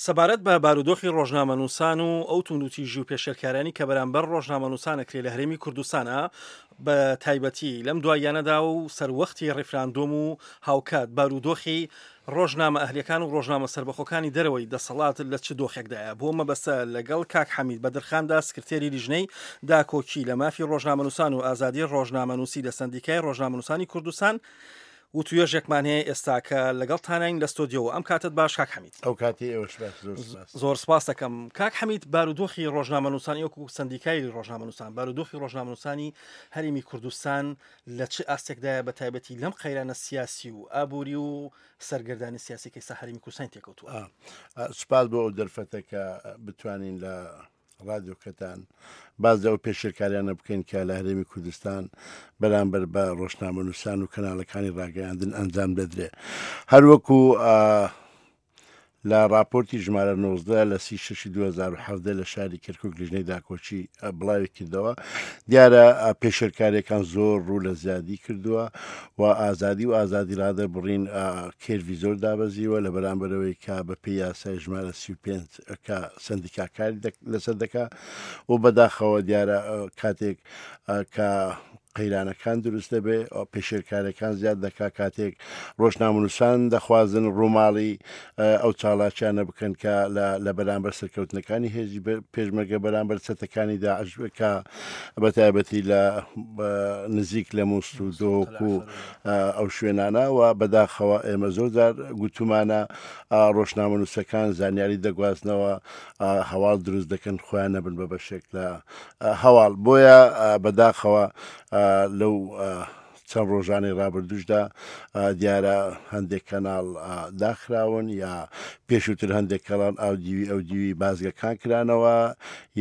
سەبارەت بە بارودۆخی ڕۆژنامەنووسان و ئەو توندوتیژی و پێشێلکاریانی کە بەرامبەر ڕۆژنامەنووسان ئەکرێ لە هەرێمی کوردستانا بە تایبەتی لەم دواییانەدا و سەروەختی ڕیفراندۆم و هاوکات بارودۆخی ڕۆژنامە ئەهلیەکان و ڕۆژنامە سەربەخۆکانی دەرەوەی دەسەڵات لە چ دۆخێکدایە بۆ مەبەستە لەگەڵ کاک حەمید بەدرخاندا سکرتێری لیژنەی داکۆکی لە مافی ڕۆژنامەنووسان و ئازادی ڕۆژنامەنووسی لە سەندیکای ڕۆژنامەنووسانی کوردستان وتوێژێکمان هەیە ئێستاکە لەگەڵتانین لە ستۆدیۆوە ئەم کاتت باش کاک حەمید. ئەو کاتی ئێوەش باش زۆر سپاس. زۆر سپاس دەکەم کاک حەمید بارودۆخی ڕۆژنامەنووسانی وەکو سەندیکای ڕۆژنامەنووسان بارودۆخی ڕۆژنامەنووسانی هەرێمی کوردستان لە چ ئاستێکدایە بە تایبەتی لەم قەیرانە سیاسی و ئابووری و سەرگەردانی سیاسی کە ئێستا هەرێمی کوردستانی تێکەوتووە؟ سپاس بۆ ئەو دەرفەتە کە بتوانین لە ڕادیۆکەتان باس لەو پێشێلکاریانە بکەین کە لە هەرێمی کوردستان بەرامبەر بە ڕۆژنامەنووسان و کەناڵەکانی ڕاگەیاندن ئەنجام دەدرێ هەروەکو لە ڕاپۆرتی ژمارە 19 لە سی شەشی 2017 لە شاری کەرکک لیژنەی داکۆکی بڵاوی کردەوە دیارە پێشێلکاریەکان زۆر ڕوو لە زیادی کردووە و ئازادی و ئازادی ڕادەربڕین کێرڤی زۆر دابەزیوە لە بەرامبەرەوەی کە بە پێی یاسای ژمارە 35 کە سندیکا کاری لەسەر دەکا و بەداخەوە دیارە کاتێک کە قەیرانەکان دروست دەبێ پێشێلکارەکان زیاد دەکا کاتێک ڕۆژنامەنووسان دەخوازن ڕووماڵی ئەو چاڵاکیانە بکەن کە لە بەرامبەر سەرکەوتنەکانی هێزی پێشمەرگە بەرامبەر چەتەکانی داعش کە بە تایبەتی لە نزیک لە مووسڵ و دهۆک و ئەو شوێنانە و بەداخەوە ئێمە زۆر جار گوتومانە ڕۆژنامەنووسەکان زانیاری دەگوازنەوە هەواڵ دروست دەکەن خۆیان نەبن بە بەشێک لە هەواڵ بۆیە بەداخەوە لەو چەند ڕۆژانەی ڕابردووشدا دیارە هەندێک کەناڵ داخراون یا پێشووتر هەندێک کەڵان ئاودیوی ئەو دیوی بازگەکان کرانەوە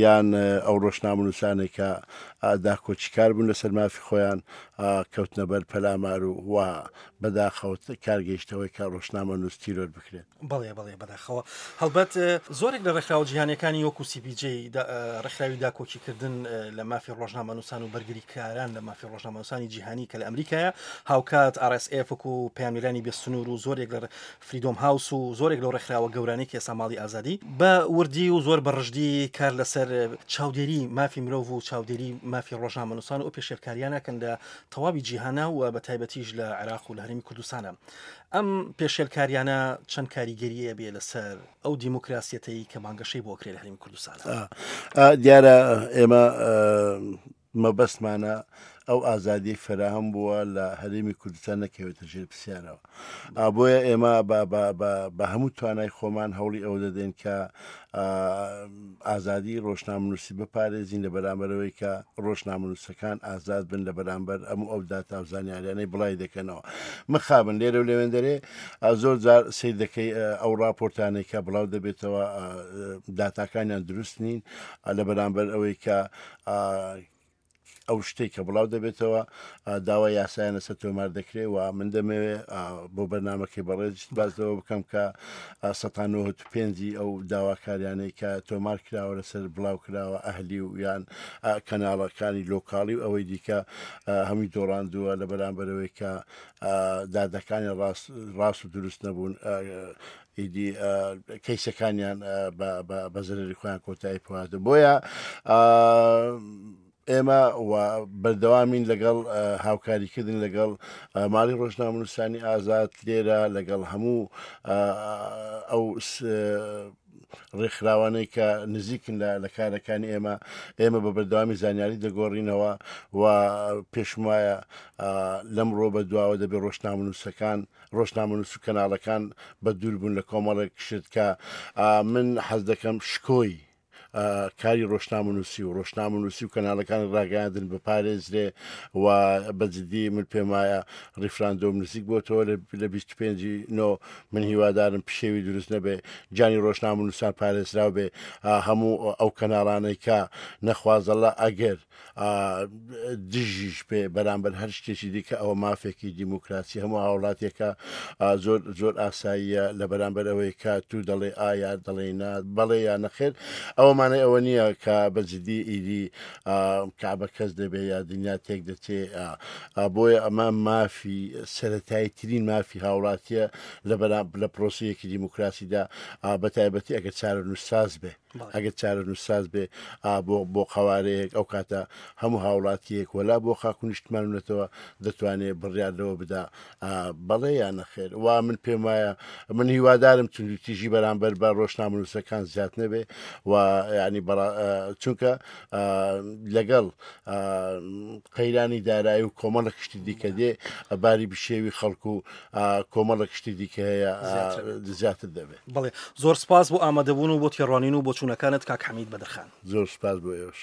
یان ئەو ڕۆژنامەنووسانێک کە داکۆکیکار بوون لەسەر مافی خۆیان کەوتنە بەر پەلامار و و بەداخەوە کار گەیشتەوەی کە ڕۆژنامەنووس تیرۆر بکرێت. بەڵێ بەڵێ بەداخەوە هەڵبەت زۆرێک لە ڕێکخراوە جیهانیەکانی وەکو CPJ ڕێکخراوی داکۆکیکردن لە مافی ڕۆژنامەنووسان و بەرگریکاران لە مافی ڕۆژنامەنووسانی جیهانی کە لە ئەمریکایە هاوکات RSF وەکو پەیامنێرانی بێ سنوور و زۆرێک لە فریدۆم هاوس و زۆرێک لەو ڕێکخراوە گەورانەی کە ئێستا ماڵی ئازادی بە وردی و زۆر بە ڕژدی کار لەسەر چاودێری مافی مرۆڤ و چاودێری مافی ڕۆژنامەنووسان و پێشێلکاریانەکەن لە تەواوی جیهانە و بە تایبەتیش لە عێراق و لە هەرێمی کوردستانە. ئەم پێشێلکاریانە چەند کاریگەریە بێ لەسەر ئەو دیموکراسیەتەی کە بانگەشەی بۆ کرێ لە هەرێمی کوردستان؟ دیارە ئێمە مەبەستمانە ئەو ئازادی فەراهەم بووە لە هەرێمی کوردستان نەکەوێتە ژێر پرسیارەوە بۆیە ئێمە بە هەموو توانای خۆمان هەوڵی ئەوە دەدەین کە ئازادی ڕۆژنامەنووسی بپارێزین لە بەرامبەرەوەی کە ڕۆژنامەنووسەکان ئازاد بن لە بەرامبەر ئەم ئەو داتا و زانیاریانەی بڵای دەکەنەوە مخابن لێرە و لەوێندەرێ زۆر جار سیر دەکەی ئەو راپۆرتانەی کە بڵاو دەبێتەوە داتاکانیان دروست نین لە بەرامبەر ئەوەی کە ئەو شتەی کە بڵاو دەبێتەوە داوای یاسایان لەسەر تۆمار دەکرێت و من دەمەوێ بۆ بەرنمەکەی بەڕێز باس لەوە بکەم کە 1995 ئەو داواکاریانەی کە تۆمار کراوە لەسەر بڵاو کراوە ئەهلی و یان کەناڵەکانی لۆکاڵی و ئەوەی دیکە هەمووی دۆڕاندووە لە بەرامبەرەوەی کە دادەکانی ڕاست ڕاست و دروست نەبوون ئیدی کەیسەکانیان بە زەرەری خۆیان کۆتایی پێهاتوو بۆیە ئێمە و بەردەوامین لەگەڵ هاوکاریکردن لەگەڵ ماڵی ڕۆژنامەنووسانی ئازاد لێرە لەگەڵ هەموو ئەو ڕێکخراوانەی کە نزیکن لە کارەکانی ئێمە ئێمە بە بەردەوامی زانیاری دەگۆڕینەوە و پێشمایە لەمڕۆ بە دواوە دەبێ ڕۆژنامەنووسەکان ڕۆژنامەنووس و کەناڵەکان بە دوور بوون لە کۆمەڵێک شت کە من حەز دەکەم شکۆی کاری ڕۆژنامەنووسی و ڕۆژنامەنووسی و کەناڵەکانی ڕاگەیاندن بپارێزرێ و بە جدی من پێم وایە ڕیفراندۆم نزیک بۆتەوە لە 25 نۆ من هیوادارم پشێوی دروست نەبێ گیانی ڕۆژنامەنووسان پارێزراو بێ هەموو ئەو کەناڵانەی کە نەخوازەڵە ئەگەر دژیش بێ بەرامبەر هەر شتێکی دیکە ئەوە مافێکی دیموکراسی هەموو هاوڵاتێکە زۆر زۆر ئاساییە لە بەرامبەر ئەوەی کە تو دەڵێ ئایا دەڵێ نا بەڵێ یا نەخێر ئەوەمان مانای ئەوە نییە کە بە جدی ئیدی کەعبە کەس دەبێ یا دنیا تێک دەچێ. بۆیە ئەمە مافی سەرەتایی ترین مافی هاوڵاتیە لە بەرام لە پرۆسەیەکی دیموکراسیدا بە تایبەتی ئەگەر چارەنووسساز بێ ئەگەر چارەنووسساز بێ بۆ بۆ قەوارەیەک ئەو کاتە هەموو هاوڵاتیەک وەلا بۆ خاک و نیشتمان و نەتەوە دەتوانێ بڕیار لەوە بدا بەڵێ یا نەخێر وا من پێم وایە من هیوادارم توندوتیژی بەرامبەر بە ڕۆژنامەنووسەکان زیاد نەبێ و ینی چونکە لەگەڵ قەیرانی دارایی و کۆمەڵە شتی دیکە دێ باری بشێوی خەڵک و کۆمەڵە شتی دیکە هەیە زیاتر دەبێت. بەڵێ زۆر سپاس بۆ ئامادەبوون و بۆ تێڕوانین و بۆچوونەکانت کاک حەمید بەدرخان. زۆر سپاس بۆ ئێوەش.